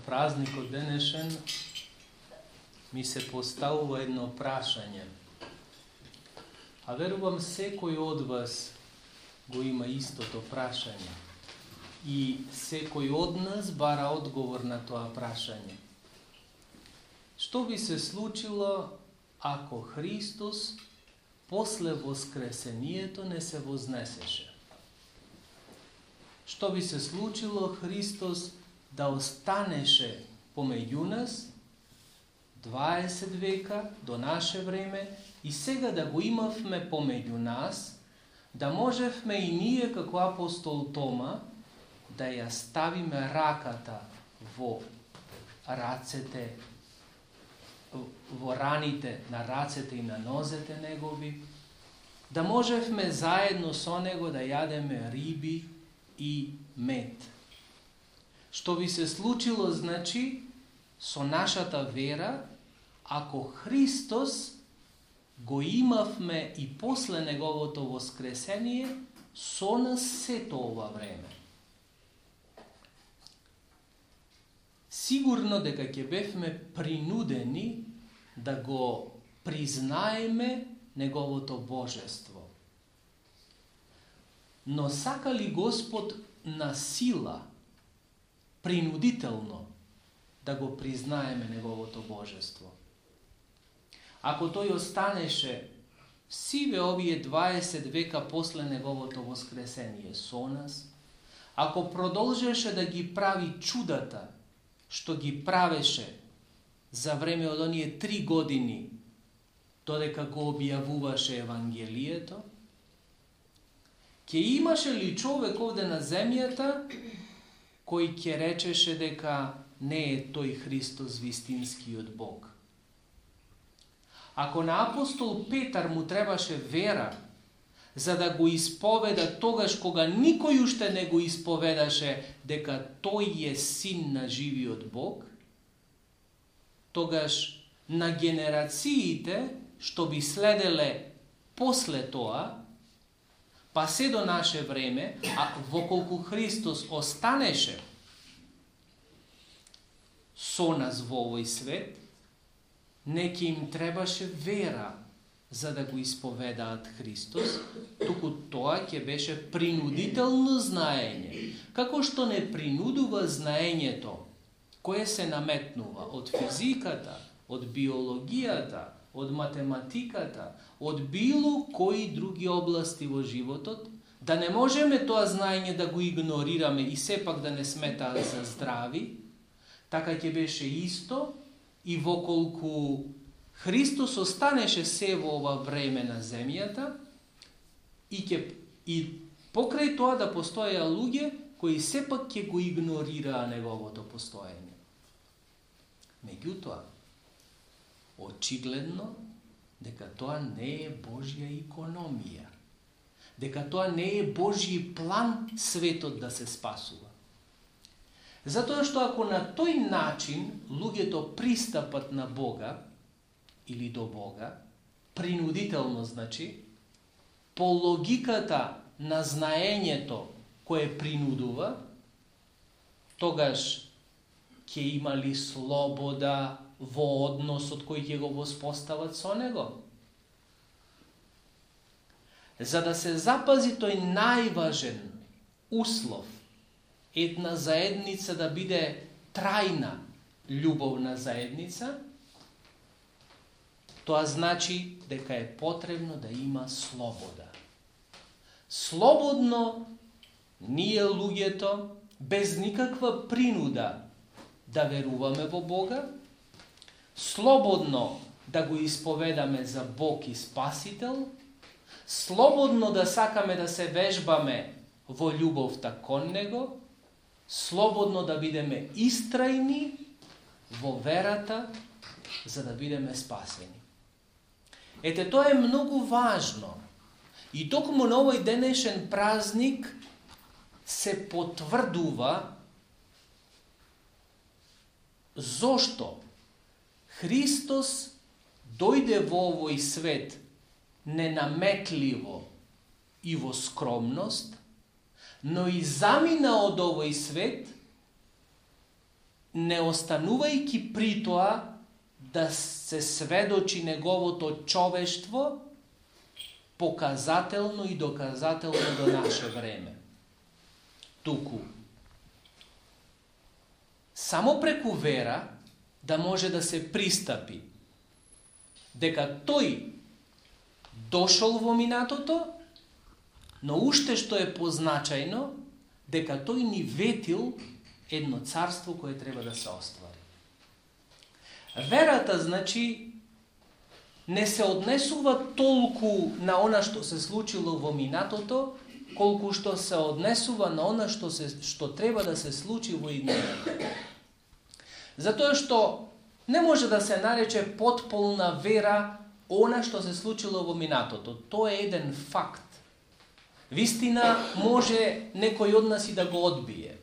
празникот денешен ми се поставува едно прашање. А верувам секој од вас го има истото прашање. И секој од нас бара одговор на тоа прашање. Што би се случило ако Христос после воскресението не се вознесеше? Што би се случило Христос да останеше помеѓу нас 20 века до наше време и сега да го имавме помеѓу нас, да можевме и ние како апостол Тома да ја ставиме раката во рацете, во раните на рацете и на нозете негови, да можевме заедно со него да јадеме риби и мед. Што би се случило, значи, со нашата вера, ако Христос го имавме и после неговото воскресение со нас сето ова време. Сигурно дека ќе бевме принудени да го признаеме неговото божество. Но сака ли Господ на сила, принудително, да го признаеме неговото божество? Ако тој останеше сиве овие 20 века после неговото воскресение со нас, ако продолжеше да ги прави чудата, што ги правеше за време од оние 3 години, додека го објавуваше Евангелието, ќе имаше ли човек овде на земјата кој ќе речеше дека не е тој Христос вистинскиот Бог? Ако на апостол Петар му требаше вера за да го исповеда тогаш кога никој уште не го исповедаше дека тој е син на живиот Бог, тогаш на генерациите што би следеле после тоа, па се до наше време, а воколку Христос останеше со нас во овој свет, не ќе им требаше вера за да го исповедаат Христос, туку тоа ќе беше принудително знаење, како што не принудува знаењето кое се наметнува од физиката, од биологијата, од математиката, од било кои други области во животот, да не можеме тоа знаење да го игнорираме и сепак да не сметаат за здрави, така ќе беше исто и воколку Христос останеше се во ова време на земјата и покрај тоа да постоеа луѓе кои сепак ќе го игнорираа неговото постоење. Меѓутоа, очигледно дека тоа не е Божја икономија, дека тоа не е Божји план светот да се спасува. Затоа што ако на тој начин луѓето пристапат на Бога или до Бога, принудително значи, по логиката на знаењето кое принудува, тогаш ќе имали слобода во односот кој ќе го воспостават со него. За да се запази тој најважен услов, една заедница да биде трајна љубовна заедница, тоа значи дека е потребно да има слобода. Слободно ние луѓето, без никаква принуда, да веруваме во Бога, слободно да го исповедаме за Бог и Спасител, слободно да сакаме да се вежбаме во љубовта кон Него, слободно да бидеме истрајни во верата, за да бидеме спасени. Ете, тоа е многу важно. И токму на овој денешен празник се потврдува зошто Христос дојде во овој свет ненаметливо и во скромност, но и замина од овој свет не останувајќи при тоа да се сведочи неговото човештво показателно и доказателно до наше време. Туку само преку вера да може да се пристапи дека тој дошол во минатото, но уште што е позначајно, дека тој ни ветил едно царство кое треба да се оствари. Верата, значи, не се однесува толку на она што се случило во минатото, колку што се однесува на она што треба да се случи во иднината. Затоа што не може да се нарече потполна вера она што се случило во минатото. Тоа е еден факт. Вистина може некој од нас и да го одбие.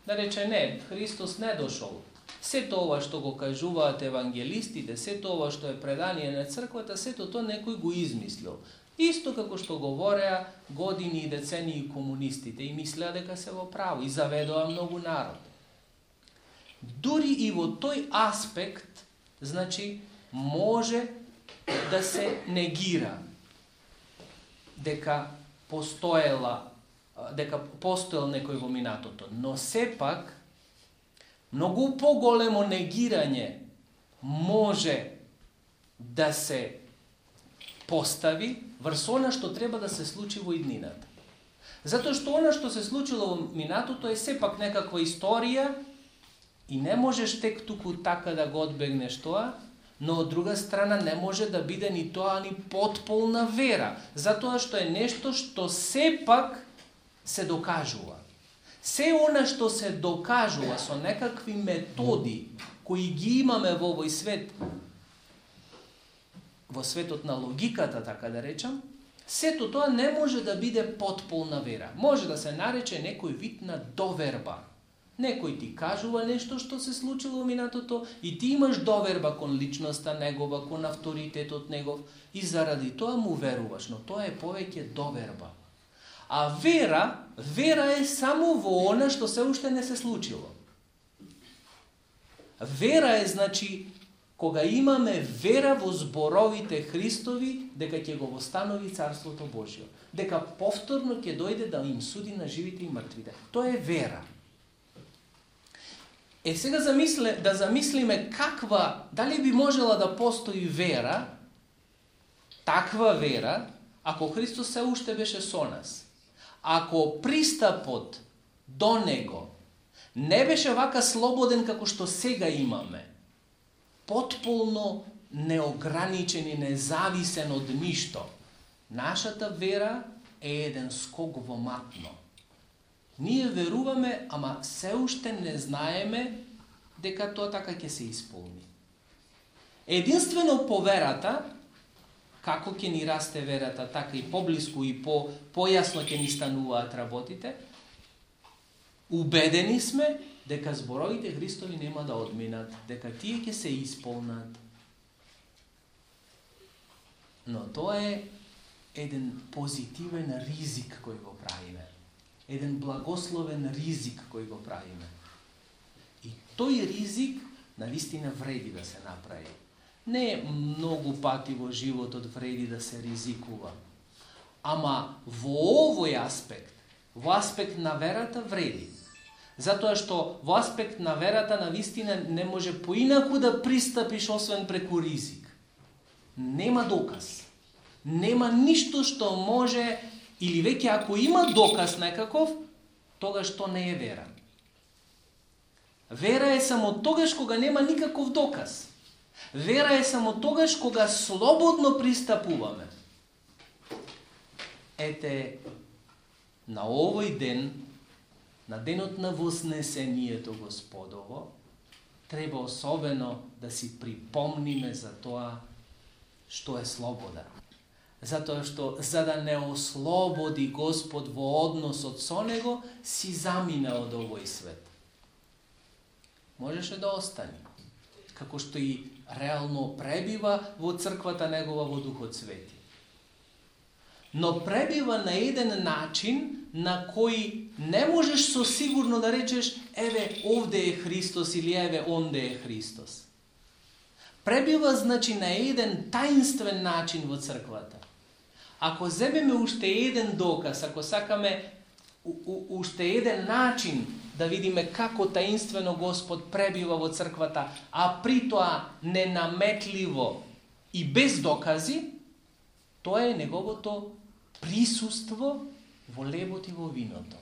Да рече, не, Христос не дошол. Сето ова што го кажуваат евангелистите, сето ова што е предание на црквата, сето тоа некој го измислил. Исто како што говореа години и децении комунистите и мислеа дека се во право и заведоа многу народ. Дури и во тој аспект, значи, може да се негира дека постоел некој во минатото, но сепак многу поголемо негирање може да се постави врз она што треба да се случи во иднината. Затоа што она што се случило во минатото е сепак некаква историја и не можеш тек туку така да го одбегнеш тоа, но од друга страна не може да биде ни тоа ни потполна вера, затоа што е нешто што сепак се докажува. Се она што се докажува со некакви методи кои ги имаме во овој свет, во светот на логиката, така да речам, сето тоа не може да биде потполна вера. Може да се нарече некој вид на доверба. Некој ти кажува нешто што се случило во минатото и ти имаш доверба кон личноста негова, кон авторитетот негов и заради тоа му веруваш, но тоа е повеќе доверба. А вера е само во она што се уште не се случило. Вера е, значи, кога имаме вера во зборовите Христови дека ќе го востанови Царството Божјо, дека повторно ќе дојде да им суди на живите и мртвите. Тоа е вера. Сега да замислиме дали би можела да постои вера, таква вера, ако Христос се уште беше со нас. Ако пристапот до Него не беше вака слободен како што сега имаме, потполно неограничен и независен од ништо, нашата вера е еден скок во матно. Ние веруваме, ама се уште не знаеме дека тоа така ќе се исполни. Единствено по верата, како ќе ни расте верата, така и поблиску и појасно ќе ни стануваат работите, убедени сме дека зборовите Христови нема да одминат, дека тие ќе се исполнат. Но тоа е еден позитивен ризик кој го правиме. Еден благословен ризик кој го правиме. И тој ризик навистина вреди да се направи. Не многу пати во животот вреди да се ризикува. Ама во овој аспект, во аспект на верата вреди. Затоа што во аспект на верата навистина не може поинаку да пристапиш освен преку ризик. Нема доказ. Нема ништо што може, или веќе ако има доказ некаков, тогаш тоа не е вера. Вера е само тогаш кога нема никаков доказ. Вера е само тогаш кога слободно пристапуваме. Ете, на овој ден, на денот на вознесението Господово, треба особено да си припомниме за тоа што е слобода. Затоа што, за да не ослободи Господ во односот со Него, си замина од овој свет. Можеше да остане, како што и реално пребива во црквата Негова во Духот Свети. но пребива на еден начин на кој не можеш со сигурно да речеш еве овде е Христос или еве онде е Христос. Пребива значи на еден таинствен начин во црквата. Ако земеме уште еден доказ, ако сакаме уште еден начин да видиме како таинствено Господ пребива во црквата, а при тоа ненаметливо и без докази, тоа е неговото присуство во лебот и во виното.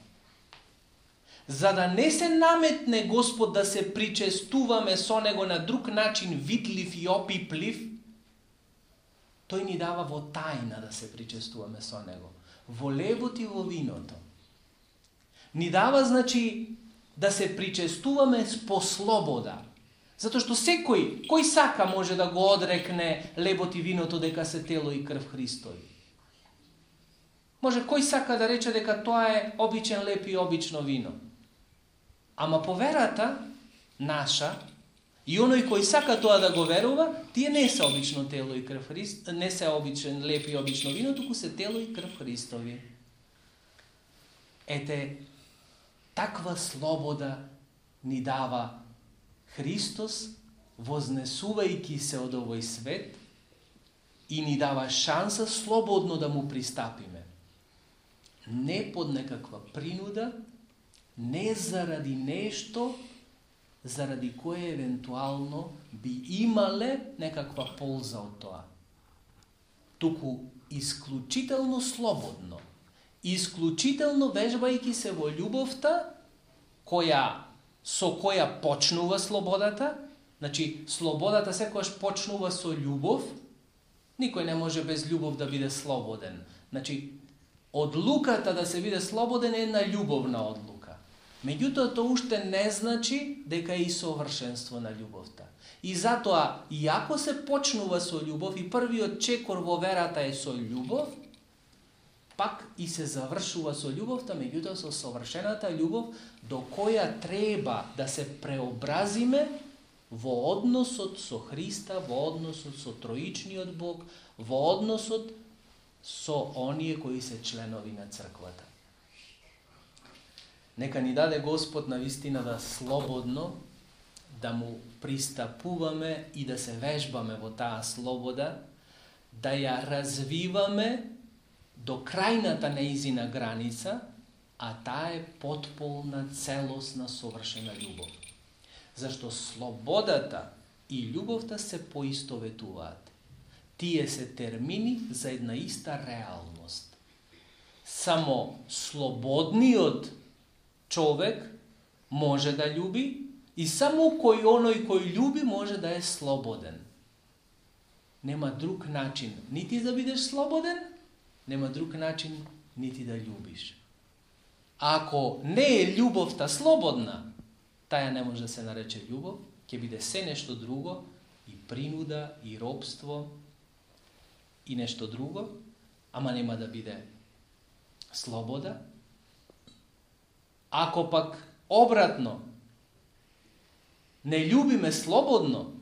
За да не се наметне Господ да се причестуваме со Него на друг начин, видлив и опиплив, тој ни дава во тајна да се причестуваме со Него. Во лебот и во виното. Ни дава, значи, да се причестуваме по слобода. Затоа што секој, кој сака може да го одрекне лебот и виното дека се тело и крв Христови. Може кој сака да рече дека тоа е обичен леб и обично вино. Ама по верата наша, и оној кој сака тоа да го верува, тие не се обично тело и крв Христ, не се обичен леб и обично вино, туку се тело и крв Христови. Ете, таква слобода ни дава Христос, вознесувајќи се од овој свет, и ни дава шанса слободно да му пристапиме. Не под некаква принуда, не заради нешто, заради кое евентуално би имале некаква полза од тоа. Туку исклучително слободно, исклучително вежбајќи се во љубовта, со која почнува слободата. Значи, слободата секогаш почнува со љубов. Никој не може без љубов да биде слободен. Значи, одлуката да се биде слободен е една љубовна одлука. Меѓутоа, тоа уште не значи дека е и совршенство на љубовта. И затоа, иако се почнува со љубов и првиот чекор во верата е со љубов, пак и се завршува со љубовта, меѓутоа со совршената љубов, до која треба да се преобразиме во односот со Христа, во односот со троичниот Бог, во односот со оние кои се членови на црквата. Нека ни даде Господ на вистина да слободно да му пристапуваме и да се вежбаме во таа слобода, да ја развиваме до крајната неизина граница, а таа е потполна, целосна, совршена љубов. Зашто слободата и љубовта се поистоветуваат. Тие се термини за една иста реалност. Само слободниот човек може да љуби и само оној кој љуби може да е слободен. Нема друг начин нити да бидеш слободен, нема друг начин нити да љубиш. Ако не е љубовта слободна, таја не може да се нарече љубов, ќе биде се нешто друго, и принуда, и робство, и нешто друго, ама нема да биде слобода. Ако пак обратно не љубиме слободно,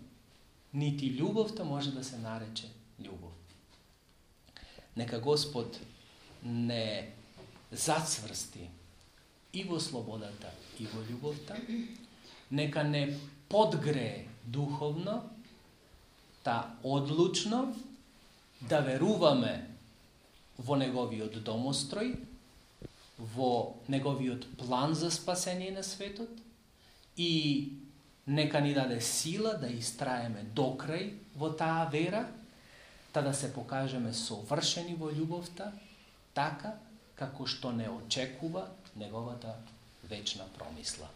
нити љубовта може да се нарече љубов. Нека Господ не зацврсти и во слободата, и во љубовта, нека не подгрее духовно, та одлучно да веруваме во Неговиот домострој, во Неговиот план за спасение на светот, и нека ни даде сила да истраеме до крај во таа вера, та да се покажеме совршени во љубовта, така како што не очекува Неговата вечна промисла.